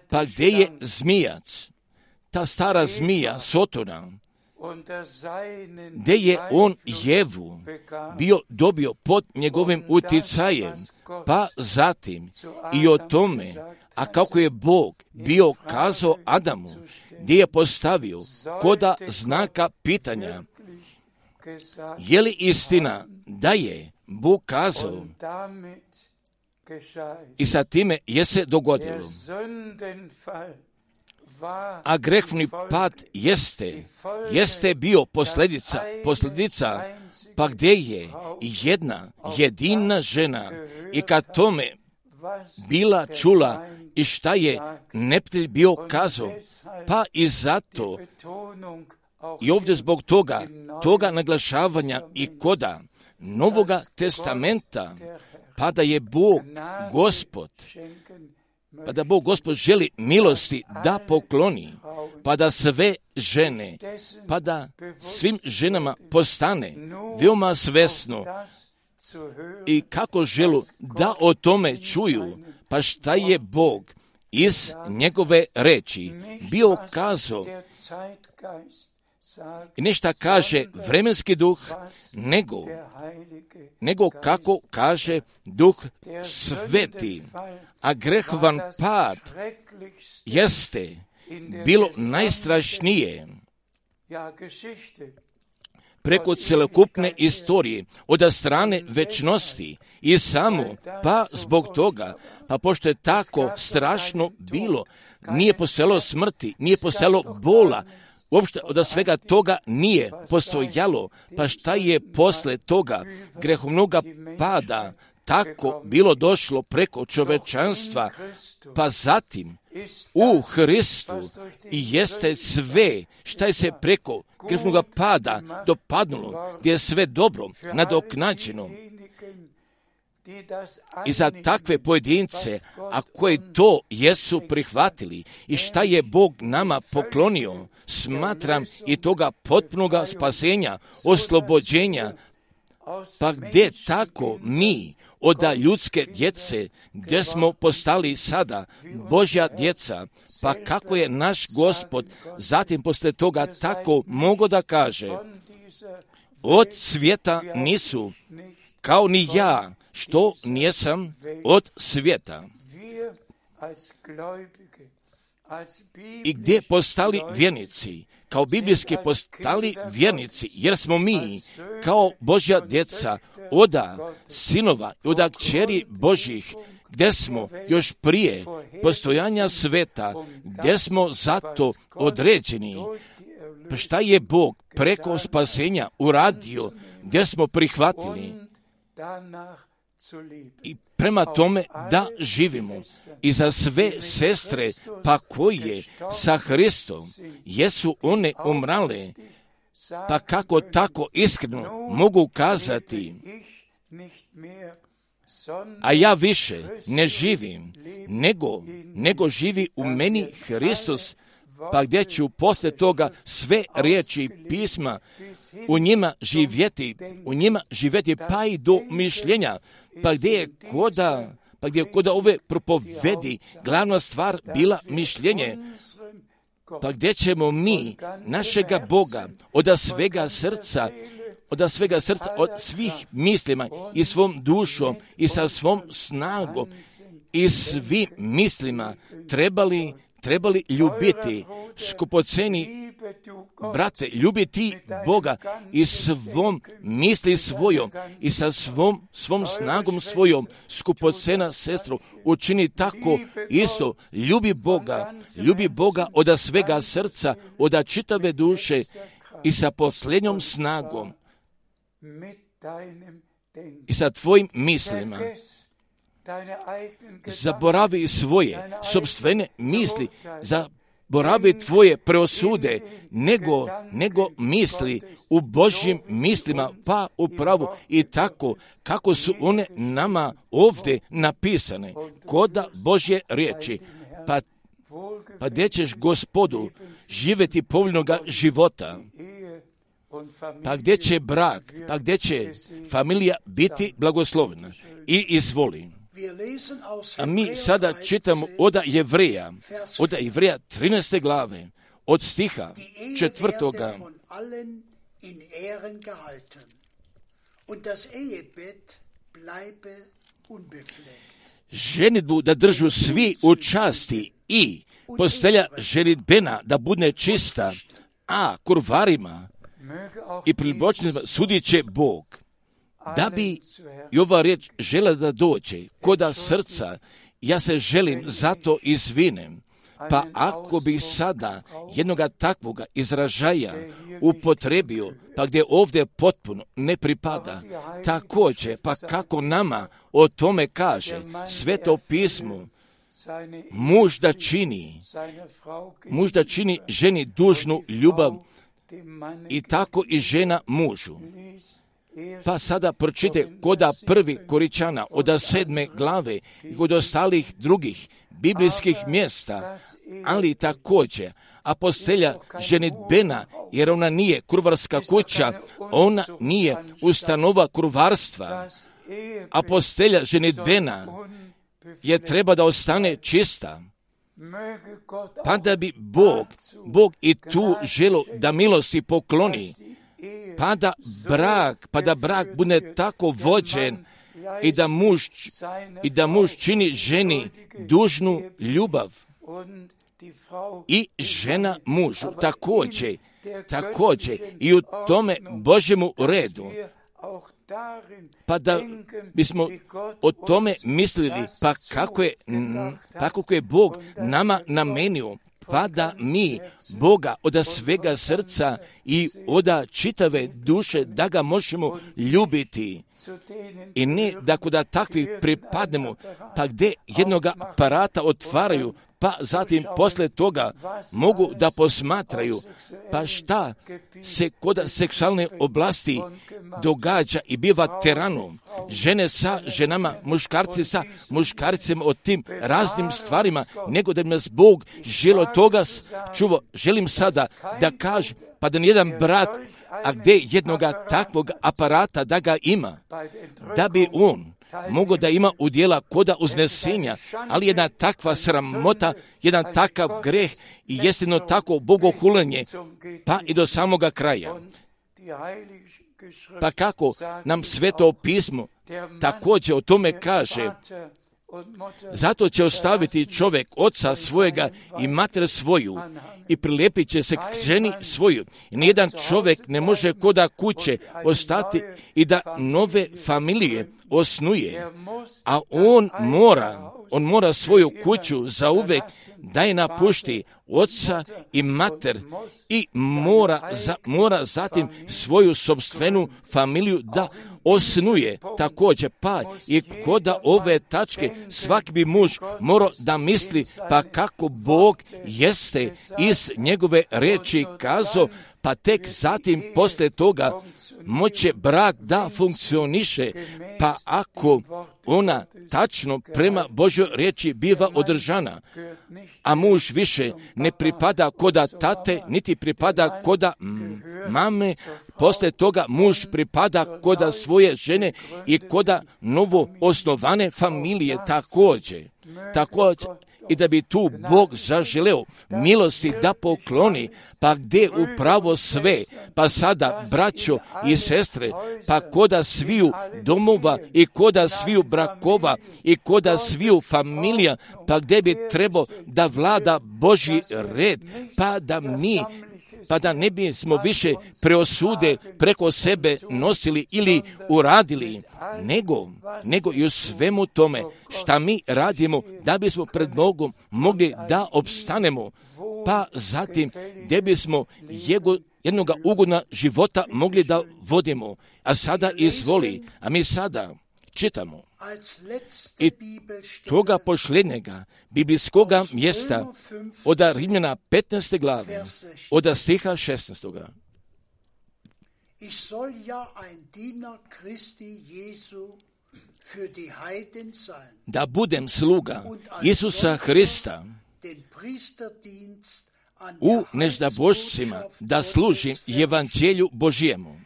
pa gdje je zmijac, ta stara zmija Sotona, gdje je on Jevu bio dobio pod njegovim uticajem, pa zatim i o tome, a kako je Bog bio kazao Adamu, gdje je postavio koda znaka pitanja, je li istina da je Bog kazao I sa time je se dogodilo. A grehni pad jeste, jeste bio posljedica, posljedica, pa gdje je jedna jedina žena i kad tome bila čula i šta je neprijatelj bio kazao, pa i zato i ovdje zbog toga, toga naglašavanja i koda Novoga testamenta, pa da je Bog Gospod, pa da Bog Gospod želi milosti da pokloni, pa da sve žene, pa da svim ženama postane veoma svesno i kako želu da o tome čuju, pa šta je Bog iz njegove reči bio kazao. I ne šta kaže vremenski duh, nego, nego kako kaže duh sveti. A grehovan pad jeste bilo najstrašnije preko celokupne istorije, od strane večnosti i samo, pa zbog toga, pa pošto je tako strašno bilo, nije postojalo smrti, nije postojalo bola, uopšte od svega toga nije postojalo, pa šta je posle toga grehovnoga pada tako bilo došlo preko čovečanstva, pa zatim u Hristu i jeste sve šta je se preko grehovnoga pada dopadnulo, gdje je sve dobro nadoknađeno. I za takve pojedince, a koji to jesu prihvatili i šta je Bog nama poklonio, smatram i toga potpunoga spasenja, oslobođenja, pa gdje tako mi od ljudske djece, gdje smo postali sada Božja djeca, pa kako je naš Gospod zatim posle toga tako mogo da kaže, od svijeta nisu, kao ni ja, što nijesam od svijeta. I gdje postali vjernici, kao biblijski postali vjernici, jer smo mi, kao Božja djeca, oda sinova i oda kćeri Božjih, gdje smo još prije postojanja sveta, gdje smo zato određeni. Pa šta je Bog preko spasenja uradio, gdje smo prihvatili i prema tome da živimo. I za sve sestre, pa koje sa Hristom jesu one umrale, pa kako tako iskreno mogu kazati, a ja više ne živim, nego, nego živi u meni Hristos, pa gdje ću poslije toga sve riječi pisma u njima živjeti, u njima živjeti pa i do mišljenja, pa gdje je koda, pa gdje je koda ove propovedi glavna stvar bila mišljenje, pa gdje ćemo mi našega Boga od svega srca, od svega srca, od svih mislima i svom dušom i sa svom snagom i svim mislima trebali trebali ljubiti, skupoceni brate, ljubiti Boga i svom misli svojom i sa svom, svom snagom svojom, skupocena sestro, učini tako isto, ljubi Boga, ljubi Boga od svega srca, od čitave duše i sa posljednjom snagom i sa tvojim mislima. Zaboravi svoje sopstvene misli, zaboravi tvoje preosude, nego, nego misli u Božjim mislima, pa upravo i tako kako su one nama ovdje napisane, koda Božje riječi. Pa, pa gdje ćeš Gospodu živjeti povoljnoga života, pa gdje će brak, pa gdje će familija biti blagoslovena. I izvoli. A mi sada čitamo od Jevreja, od Jevreja trinaeste glave, od stiha četvrtoga. Ženidbu da držu svi u časti i postelja ženidbena da bude čista, a kurvarima i pribočnicima sudit će Bog. Da bi i ova riječ žela da dođe koda srca, ja se želim zato izvinem. Pa ako bi sada jednoga takvoga izražaja upotrebio, pa gdje ovdje potpuno ne pripada, također, pa kako nama o tome kaže Sveto pismo, muž da čini, muž da čini ženi dužnu ljubav i tako i žena mužu. Pa sada pročite koda prvi Koričana od sedme glave i kod ostalih drugih biblijskih mjesta, ali također apostelja ženidbena, jer ona nije kurvarska kuća, ona nije ustanova kurvarstva. Apostelja ženidbena je treba da ostane čista, pa da bi Bog, Bog i tu želo da milosti pokloni, pa da brak, pa da brak bude tako vođen i da muž, i da muž čini ženi dužnu ljubav i žena mužu također, također i u tome Božjemu redu. Pa da bismo o tome mislili, pa kako je, pa kako je Bog nama namenio, pa da mi Boga od svega srca i od čitave duše da ga možemo ljubiti. I ne da kuda takvi pripadnemo, pa gdje jednog aparata otvaraju, pa zatim posle toga mogu da posmatraju, pa šta se kod seksualne oblasti događa i biva teranom. Žene sa ženama, muškarci sa muškarcima o tim raznim stvarima, nego da bi nas Bog želo toga čuvo. Želim sada da kažem, pa da nijedan brat, a gdje jednoga takvog aparata da ga ima, da bi on mogu da ima udjela koda uznesenja, ali jedna takva sramota, jedan takav greh i jestino tako bogohuljenje, pa i do samoga kraja. Pa kako nam Sveto pismo također o tome kaže, zato će ostaviti čovjek oca svojega i mater svoju i prilijepit će se k ženi svoju. I nijedan čovjek ne može koda kuće ostati i da nove familije osnuje, a on mora, on mora svoju kuću zauvek da je napušti oca i mater i mora, za, mora zatim svoju sopstvenu familiju da osnuje također. Pa i koda ove tačke svaki bi muž morao da misli, pa kako Bog jeste iz njegove reči kazao, pa tek zatim posle toga moće brak da funkcioniše, pa ako ona tačno prema Božjoj riječi biva održana, a muž više ne pripada koda tate, niti pripada koda mame, posle toga muž pripada koda svoje žene i koda novo osnovane familije također. Također, i da bi tu Bog zaželeo milosti da pokloni, pa gdje upravo sve, pa sada braćo i sestre, pa koda sviju domova i koda sviju brakova i koda sviju familija, pa gdje bi trebao da vlada Božji red, pa da mi pa da ne bismo više preosude preko sebe nosili ili uradili, nego, nego i u svemu tome šta mi radimo da bismo pred Bogom mogli da opstanemo, pa zatim gdje bismo jego, jednoga ugodna života mogli da vodimo. A sada izvoli, a mi sada čitamo i toga posljednjega biblijskoga mjesta od Rimljana petnaeste glave, od stiha šesnaestog.
Ich soll ja ein Diener Christi Jesu für die Heiden sein,
da budem sluga Isusa Hrista u neždabošcima, da služim evanđelju Božjemu,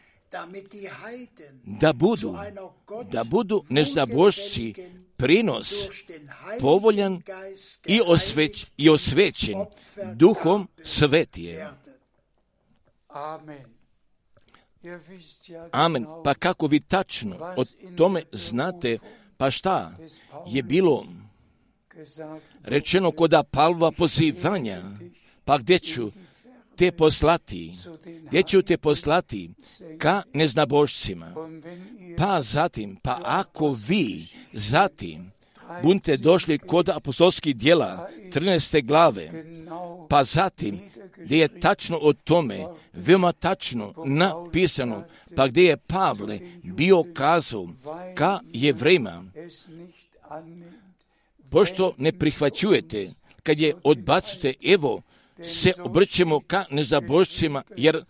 da budu, da budu neždabošci prinos povoljan i, osveć, i osvećen Duhom Svetije. Amen. Pa kako vi tačno o tome znate, pa šta je bilo rečeno koda Pavlova pozivanja, pa gdje ću te poslati, gdje ću te poslati ka neznabošcima. Pa zatim, pa ako vi zatim budete došli kod apostolskih djela trinaeste glave, pa zatim gdje je tačno o tome, veoma tačno napisano, pa gdje je Pavle bio kazao ka Jevrejima, pošto ne prihvaćujete, kad je odbacujete, evo se obrćemo ka nezabošcima, jer,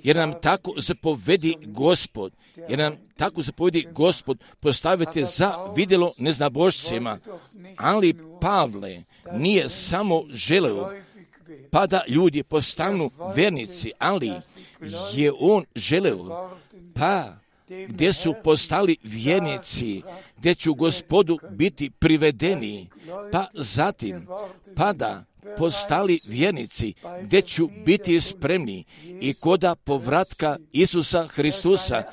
jer nam tako zapovedi Gospod, jer nam tako zapovedi Gospod, postavite za vidjelo neznabošcima. Ali Pavle nije samo želeo pa da ljudi postanu vernici, ali je on želeo pa gdje su postali vjernici, gdje će Gospodu biti privedeni, pa zatim pa da postali vjernici, gdje ću biti spremni i koda povratka Isusa Hristusa,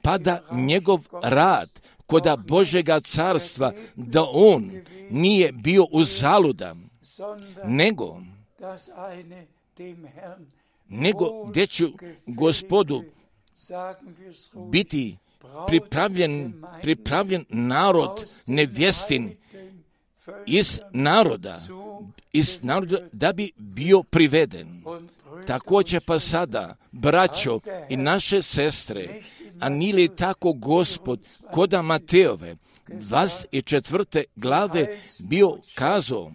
pa da njegov rad koda Božjega carstva, da on nije bio uzaludan, nego, nego gdje ću Gospodu biti pripravljen, pripravljen narod nevjestin iz naroda, iz naroda da bi bio priveden. Također pa sada, braćo i naše sestre, a nije li tako Gospod koda Mateove dvadeset četvrte glave bio kazao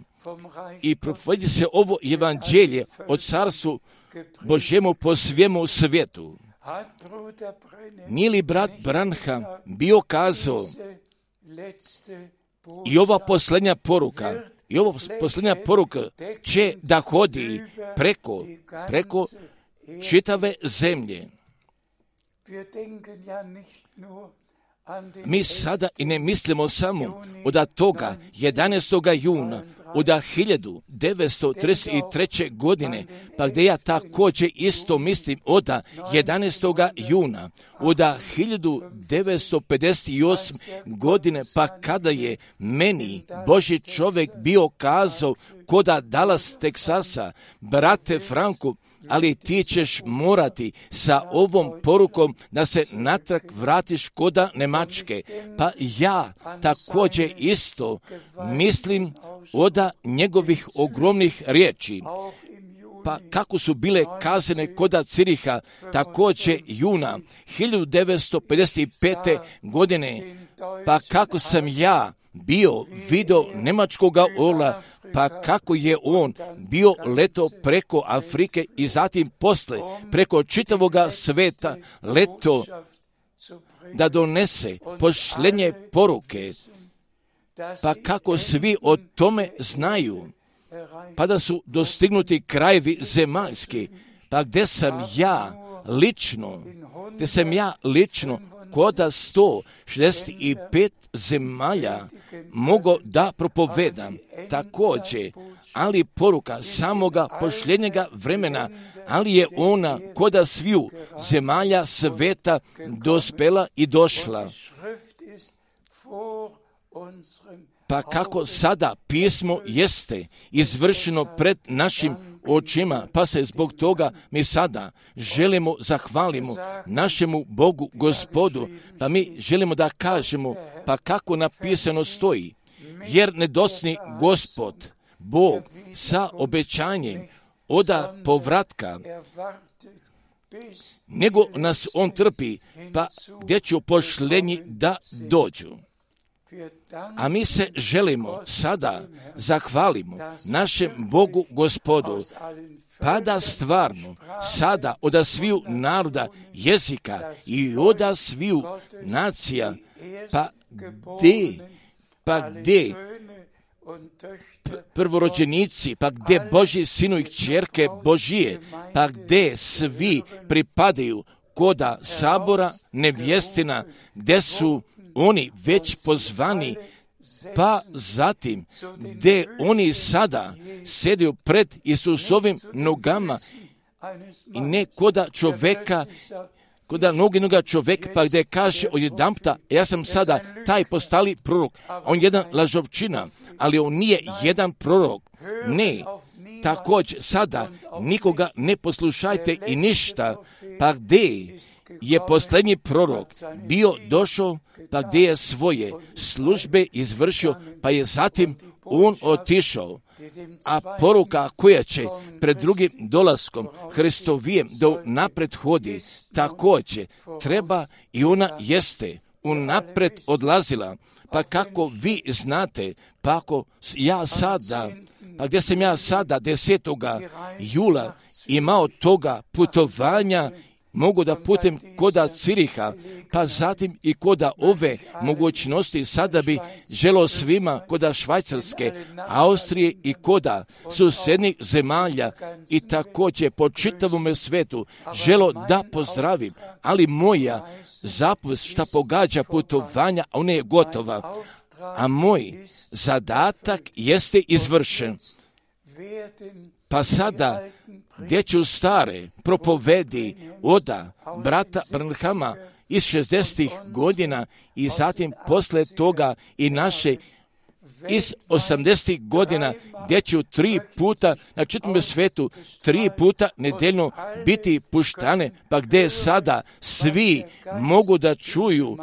i provodi se ovo evanđelje o carstvu Božjemu po svemu svijetu. Nije li brat Branham bio kazao i ova posljednja poruka, i ova posljednja poruka će da hodi preko, preko čitave zemlje. Mi sada i ne mislimo samo od toga jedanaestog juna od hiljadu devetsto trideset treće. godine, pa gdje ja također isto mislim od jedanaestog juna od hiljadu devetsto pedeset osme. godine, pa kada je meni Božji čovjek bio kazao koda Dallas, Teksasa, brate Franku, ali ti ćeš morati sa ovom porukom da se natrag vratiš koda Njemačke. Pa ja također isto mislim od njegovih ogromnih riječi. Pa kako su bile kazane koda Ciriha, također juna hiljadu devetsto pedeset pete. godine, pa kako sam ja bio video njemačkoga orla, pa kako je on bio leto preko Afrike i zatim posle preko čitavoga sveta leto da donese pošljenje poruke, pa kako svi o tome znaju, pa da su dostignuti krajevi zemaljski, pa gdje sam ja lično, gdje sam ja lično koda sto šezdeset pet zemalja mogo da propovedam također, ali poruka samoga pošljenjega vremena, ali je ona koda sviju zemalja sveta dospela i došla. Pa kako sada pismo jeste izvršeno pred našim očima, pa se zbog toga mi sada želimo zahvalimo našemu Bogu Gospodu, pa mi želimo da kažemo, pa kako napisano stoji, jer nedosni Gospod, Bog sa obećanjem oda povratka, nego nas on trpi, pa gdje ću pošljenji da dođu. A mi se želimo sada zahvalimo našem Bogu Gospodu, pa da stvarno sada od sviju naroda, jezika i od sviju nacija, pa gdje, pa gdje prvorođenici, pa gdje Božji sinu i kćerke Božije, pa gdje svi pripadaju koda sabora nevjestina, gdje su oni već pozvani, pa zatim gdje oni sada sjedaju pred Isusovim nogama i ne koda čoveka, koda mnoginoga čoveka, pa gdje kaže odjedanputa, ja sam sada taj postali prorok, on je jedan lažovčina, ali on nije jedan prorok, ne, također sada nikoga ne poslušajte i ništa, pa gdje je posljednji prorok bio došao, pa gdje je svoje službe izvršio, pa je zatim on otišao. A poruka koja će pred drugim dolaskom Hristovijem do napred hodi, također treba i ona jeste unapred odlazila. Pa kako vi znate, pa ako ja sada, pa gdje sam ja sada desetoga jula imao toga putovanja, mogu da putem koda Ciriha, pa zatim i koda ove mogućnosti, sada bi želio svima koda Švajcarske, Austrije i koda susjednih zemalja i također po čitavome svetu želo da pozdravim, ali moja zapovest šta pogađa putovanja, ona je gotova, a moj zadatak jeste izvršen. Pa sada, gdje ću stare propovedi oda brata Branhama iz šezdesetih godina i zatim posle toga i naše iz osamdesetih godina, gdje ću tri puta na čitavom svetu, tri puta nedeljno biti puštane, pa gdje sada svi mogu da čuju,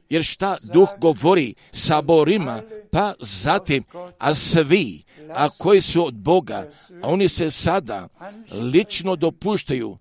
jer šta Duh govori saborima, pa zatim, a svi, a koji su od Boga, a oni se sada lično dopuštaju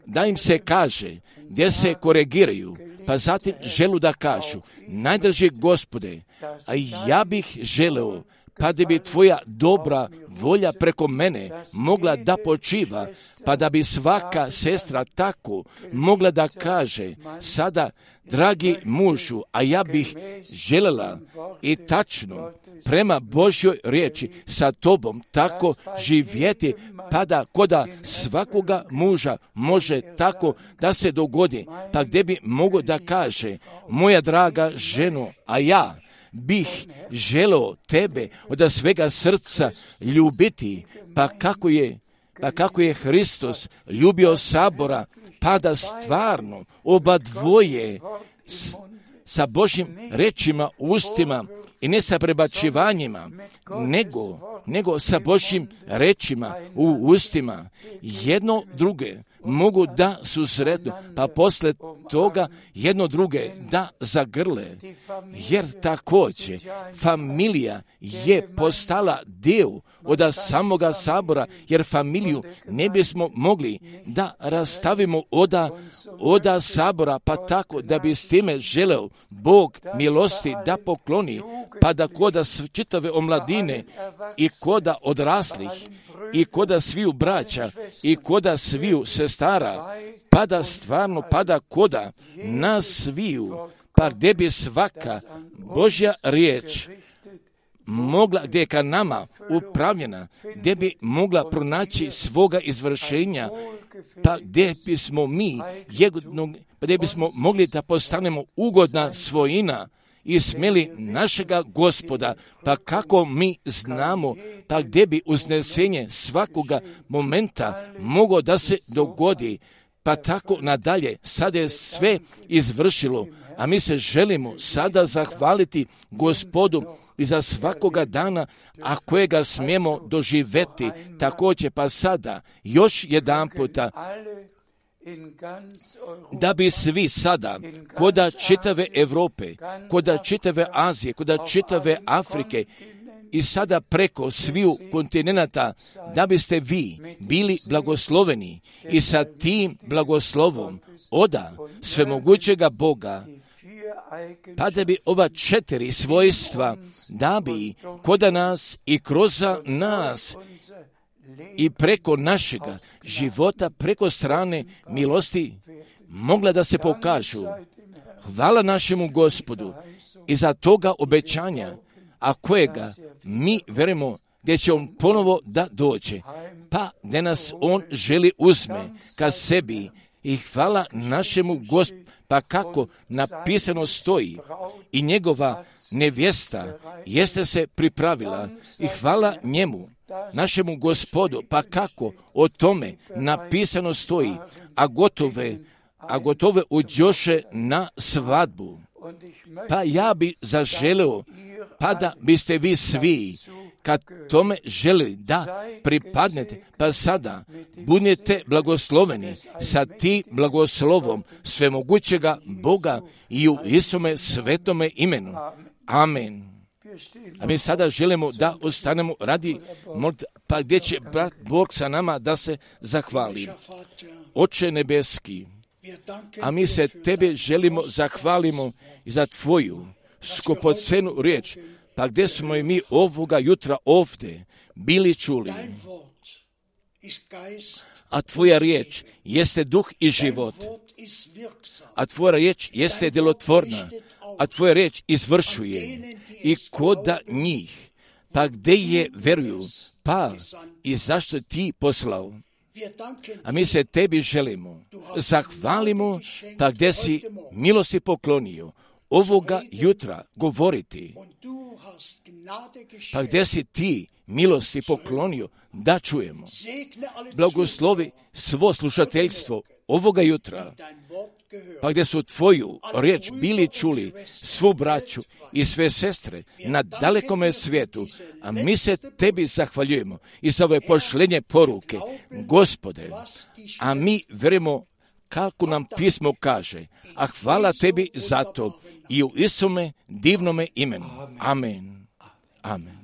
da im se kaže, gdje se korigiraju, pa zatim želu da kažu, najdraži Gospode, a ja bih želeo, pa da bi tvoja dobra volja preko mene mogla da počiva, pa da bi svaka sestra tako mogla da kaže, sada, dragi mužu, a ja bih želela i tačno prema Božjoj riječi sa tobom tako živjeti, pa da koda svakoga muža može tako da se dogodi, pa gdje bi mogo da kaže, moja draga ženo, a ja bih želeo tebe od svega srca ljubiti, pa kako je, pa kako je Hristos ljubio sabora, pa da stvarno oba dvoje s, sa Božjim rečima u ustima i ne sa prebačivanjima, nego, nego sa Božjim rečima u ustima, jedno druge mogu da susretnu, pa posle toga jedno druge da zagrle, jer također familija je postala dio od samoga sabora, jer familiju ne bismo mogli da rastavimo oda, oda sabora, pa tako da bi s time želeo Bog milosti da pokloni, pa da koda čitave omladine i koda odraslih i koda sviju braća i koda sviju sestara, pa da stvarno pada koda nas sviju, pa gdje bi svaka Božja riječ mogla, gdje je ka nama upravljena, gdje bi mogla pronaći svoga izvršenja, pa gdje bismo mi, jednog, pa gdje bismo mogli da postanemo ugodna svojina i smeli našega Gospoda, pa kako mi znamo, pa gdje bi uznesenje svakoga momenta moglo da se dogodi, pa tako nadalje. Sada je sve izvršilo, a mi se želimo sada zahvaliti Gospodu i za svakoga dana, a kojega smijemo doživjeti. Također pa sada još jedan puta, da bi svi sada, koda čitave Europe, koda čitave Azije, koda čitave Afrike i sada preko sviju kontinenata, da biste vi bili blagosloveni i sa tim blagoslovom oda svemogućega Boga, pa da bi ova četiri svojstva, da bi koda nas i kroz nas i preko našega života, preko strane milosti, mogla da se pokažu. Hvala našemu Gospodu i za toga obećanja, a kojega mi verujemo gdje će on ponovo da dođe, pa gdje nas on želi uzme ka sebi. I hvala našemu Gospodu, pa kako napisano stoji, i njegova nevjesta jeste se pripravila, i hvala njemu, našemu Gospodu, pa kako o tome napisano stoji, a gotove, a gotove uđoše na svadbu. Pa ja bi zaželeo, pa da biste vi svi kad tome želi da pripadnete, pa sada budete blagosloveni sa ti blagoslovom svemogućega Boga i u Isume svetome imenu. Amen. A mi sada želimo da ostanemo radi molitve, pa gdje će brat Bog sa nama da se zahvali. Oče nebeski, a mi se Tebe želimo zahvalimo i za Tvoju skupocenu riječ, pa gdje smo i mi ovoga jutra ovdje bili čuli. A Tvoja riječ jeste duh i život, a Tvoja riječ jeste djelotvorna, a Tvoja riječ izvršuje i koda njih, pa gdje je veruju, pa i zašto Ti poslao. A mi se Tebi želimo, zahvalimo, pa gdje si milosti poklonio ovoga jutra govoriti, pa gdje si Ti milosti poklonio da čujemo. Blagoslovi svo slušateljstvo ovoga jutra, pa gdje su Tvoju riječ bili čuli, svu braću i sve sestre na dalekome svijetu, a mi se Tebi zahvaljujemo i za ove pošlenje poruke, Gospode, a mi vjerujemo kako nam pismo kaže, a hvala Tebi za to i u Isume divnome imenu. Amen. Amen.